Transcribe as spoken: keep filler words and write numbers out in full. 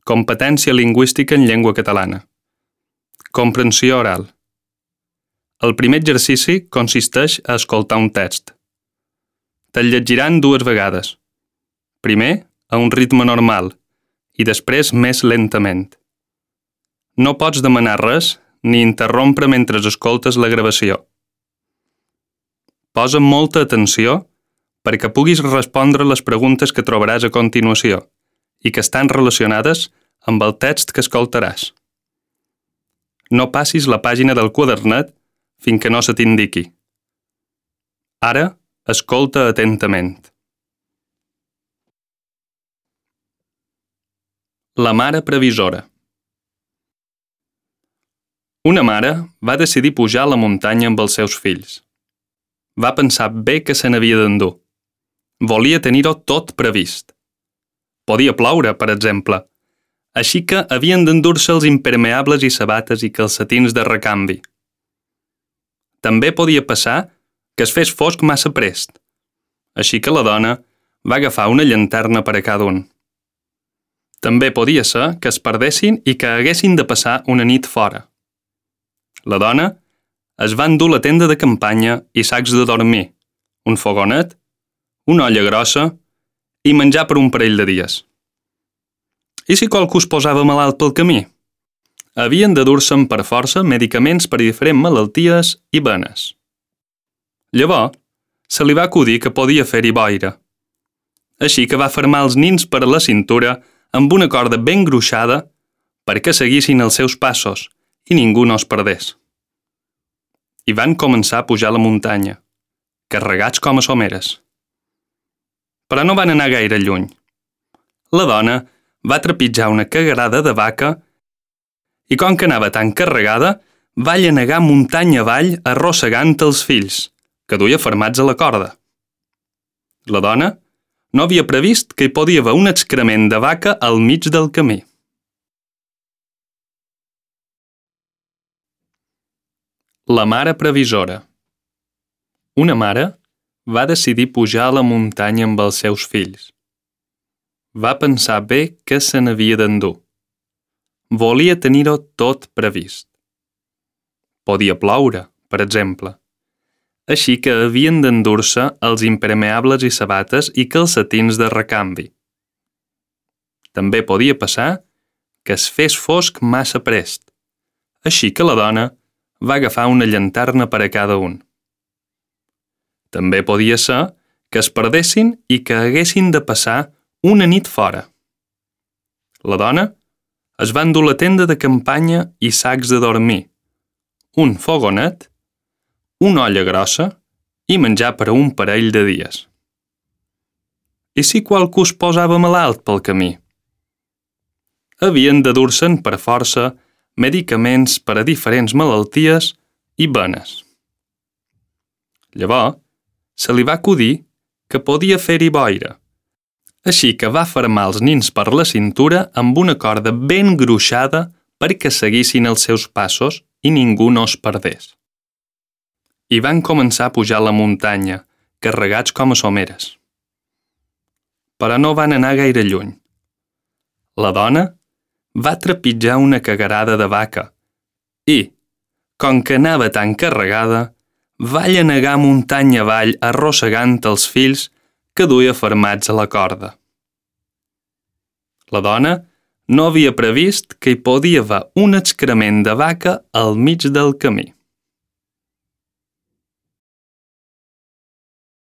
Competència lingüística en llengua catalana. Comprensió oral. El primer exercici consisteix a escoltar un text. Te'l llegiran dues vegades. Primer, a un ritme normal, i després més lentament. No pots demanar res ni interrompre mentre escoltes la gravació. Posa molta atenció perquè puguis respondre les preguntes que trobaràs a continuació i que estan relacionades amb el text que escoltaràs. No passis la pàgina del quadernet fins que no se t'indiqui. Ara, escolta atentament. La mare previsora. Una mare va decidir pujar a la muntanya amb els seus fills. Va pensar bé que se n'havia d'endur. Volia tenir-ho tot previst. Podia ploure, per exemple, així que havien d'endur-se els impermeables i sabates i calcetins de recanvi. També podia passar que es fes fosc massa prest, així que la dona va agafar una llanterna per a cada un. També podia ser que es perdessin i que haguessin de passar una nit fora. La dona es va endur la tenda de campanya i sacs de dormir, un fogonet, una olla grossa i menjar per un parell de dies. I si qualcú es posava malalt pel camí? Havien de dur-se'n per força medicaments per a diferents malalties i venes. Llavors, se li va acudir que podia fer-hi boira. Així que va fermar els nins per a la cintura amb una corda ben gruixada perquè seguissin els seus passos i ningú no es perdés. I van començar a pujar la muntanya, carregats com a someres. Però no van anar gaire lluny. La dona va trepitjar una cagarada de vaca i com que anava tan carregada, va llanegar muntanya avall arrossegant els fills, que duia fermats a la corda. La dona no havia previst que hi podia haver un excrement de vaca al mig del camí. La mare previsora. Una mare va decidir pujar a la muntanya amb els seus fills. Va pensar bé que se n'havia d'endur. Volia tenir-ho tot previst. Podia ploure, per exemple, així que havien d'endur-se els impermeables i sabates i calcetins de recanvi. També podia passar que es fes fosc massa prest, així que la dona va agafar una llanterna per a cada un. També podia ser que es perdessin i que haguessin de passar una nit fora. La dona es va endur la tenda de campanya i sacs de dormir, un fogonet, una olla grossa i menjar per a un parell de dies. I si qualcú es posava malalt pel camí? Havien de dur-se'n per força medicaments per a diferents malalties i venes. Llavors, se li va acudir que podia fer-hi boira, així que va fermar els nins per la cintura amb una corda ben gruixada perquè seguissin els seus passos i ningú no es perdés. I van començar a pujar la muntanya, carregats com a someres. Però no van anar gaire lluny. La dona va trepitjar una cagarada de vaca i, com que anava tan carregada, va llanegar muntanya avall arrossegant els fills que duia fermats a la corda. La dona no havia previst que hi podia haver un excrement de vaca al mig del camí.